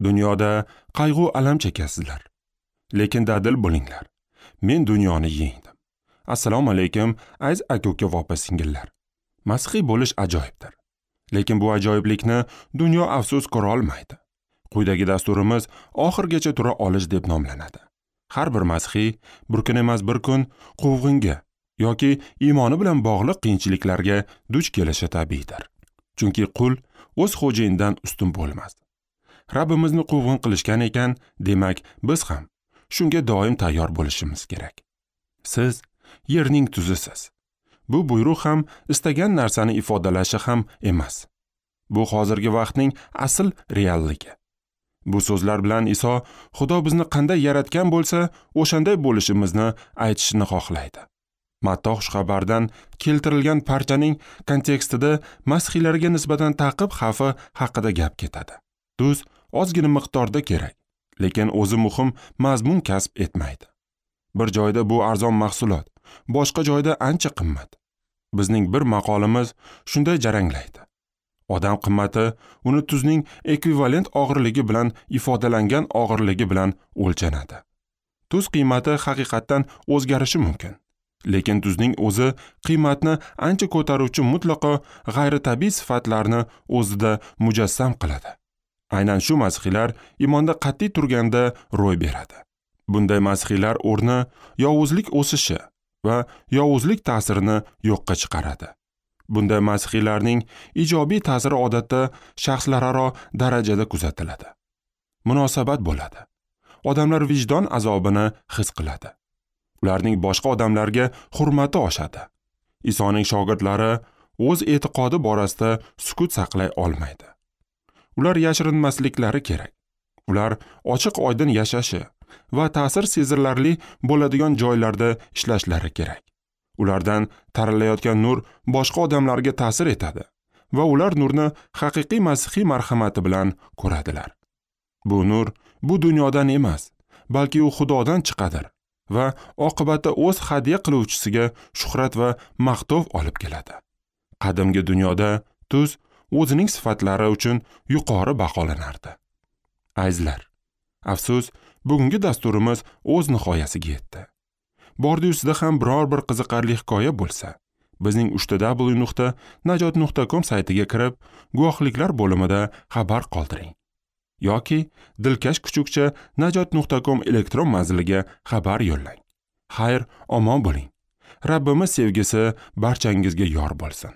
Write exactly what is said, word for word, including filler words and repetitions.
Dunyoda qayg'u alam chekasizlar, lekin dadil bo'linglar. Men dunyoni yengdim. Assalomu alaykum, aziz aka-uka va opa-singillar. Masihiy bo'lish ajoyibdir. Lekin bu ajoyiblikni dunyo afsus ko'ra olmaydi. Quyidagi dasturimiz oxirgacha tura olish deb nomlanadi. Har bir masihiy bir kun emas bir kun quvg'inga yoki iymoni bilan bog'liq qiyinchiliklarga duch kelishi tabiiydir. Chunki qul o'z xo'jayinidan ustun bo'lmas. Rabbimizni quvg'in qilishgan ekan, demak biz ham shunga doim tayyor bo'lishimiz kerak. Siz yerning tuzisiz. Bu buyruq ham istagan narsani ifodalashi ham emas. Bu hozirgi vaqtning asl realligi. Bu so'zlar bilan Iso Xudo bizni qanday yaratgan bo'lsa, o'shanday bo'lishimizni aytishni xohlaydi. Matto xushxabardan keltirilgan parchaning kontekstida masihiylarga nisbatan ta'qib xavfi haqida gap ketadi. Tuz ozgina miqdorda kerak, lekin o'zi muhim mazmun kasb etmaydi. Bir joyda bu arzon mahsulot, boshqa joyda ancha qimmat. Bizning bir maqolimiz shunday jaranglaydi. Odam qimmati uni tuzning ekvivalent og'irligi bilan ifodalangan og'irligi bilan o'lchanadi. Tuz qiymati haqiqatdan o'zgarishi mumkin. Lekin tuzning o'zi qiymatni ancha ko'taruvchi mutlaqo g'ayritabiiy sifatlarni o'zida mujassam qiladi. Aynan shu masihiylar iymonda qat'iy turganda ro'y beradi. Bunday masihiylar o'rni yovuzlik o'sishi va yovuzlik ta'sirini yo'qqa chiqaradi. Bunday masihiylarning ijobiy ta'siri odatda shaxslararo darajada kuzatiladi. Munosabat bo'ladi. Odamlar vijdon azobini his qiladi. Ularning boshqa odamlarga hurmati oshadi. Isoning shogirdlari o'z e'tiqodi borasida sukut saqlay olmaydi. Ular yashirinmasliklari kerak. Ular ochiq oydin yashashi va ta'sir sezilarli bo'ladigan joylarda ishlashlari kerak. Ulardan taralayotgan nur boshqa odamlarga ta'sir etadi va ular nurni haqiqiy masihiy marhamati bilan ko'radilar. Bu nur bu dunyodan emas, balki u Xudodan chiqadir va oqibatda o'z hadya qiluvchisiga shuhrat va maqtov olib keladi. Qadimgi dunyoda tuz o'zining sifatlari uchun yuqori baholanardi. Azizlar, afsus, bugungi dasturimiz o'z nihoyasiga yetdi. Bordi ustida ham biror bir qiziqarli hikoya bo'lsa, bizning uch ta dabl yu nuqta najot nuqta com saytiga kirib, guvohliklar bo'limida xabar qoldiring. Yoki dilkash kuchukcha najot nuqta com elektron manziliga xabar yo'llang. Xayr, omon bo'ling. Rabbimiz sevgisi barchangizga yor bo'lsin.